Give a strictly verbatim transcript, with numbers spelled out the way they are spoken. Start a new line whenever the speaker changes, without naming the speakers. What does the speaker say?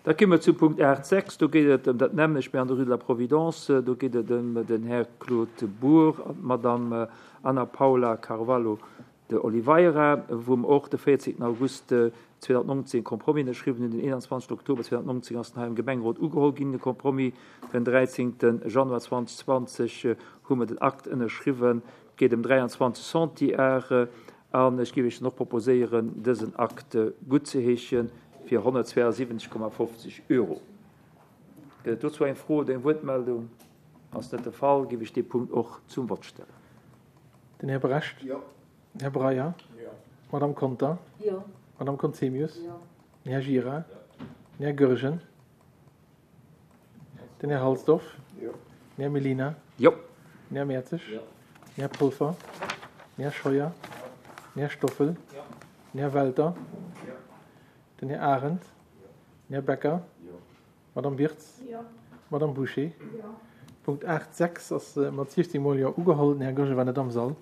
Da komme mer zum Punkt aacht sechs. Do geet et ëm dat nämmlecht, mä an der Rue de la Providence. Do geet et ëm den Här Claude Bour an d'Madame Ana Paula Carvalho de Oliveira, wou mer och de véierzéngten August zweedausendnonzéng e Compromis ënnerschriwwen hunn. Den eenanzwanzegsten Oktober zweedausendnonzéng ass en hei am Gemengerot ugeholl ginn, de Compromis. Den dräizéngte Januar zweedausendzwanzeg hu mer den Akt ënnerschriwwen. Et geet ëm dräianzwanzeg Centiar. An ech géif Iech dann och proposéieren, dësen Akt guttzeheeschen fir honnertzweeasiwwenzeg Komma fofzeg Euro. Gëtt et dozou eng Fro oder eng Wuertmeldung? Ass net de Fall, géif ech dee Punkt och zum Vott stellen.
Den Här Brecht.
Jo.
Den Här Breyer.
Jo.
D'Madame Conter.
Jo.
D'Madame Conzemius.
Jo.
Den Här Gira. Den Här Goergen. Den Här Halsdorf.
Jo.
Den Här Mellina.
Jo.
Den Här Mertzig.
Jo.
Den Här Polfer. Den Här Scheuer. Den Här Stoffel.
Jo.
Den Här Welter.
Jo.
Den Här Arendt. Den Här Becker.
Jo.
D'Madame Wirtz.
Jo.
D'Madame Bouché.
Jo.
Punkt aacht sechs ass mat siechzéng Mol Jo ugeholl. Den Här Goergen war net am Sall.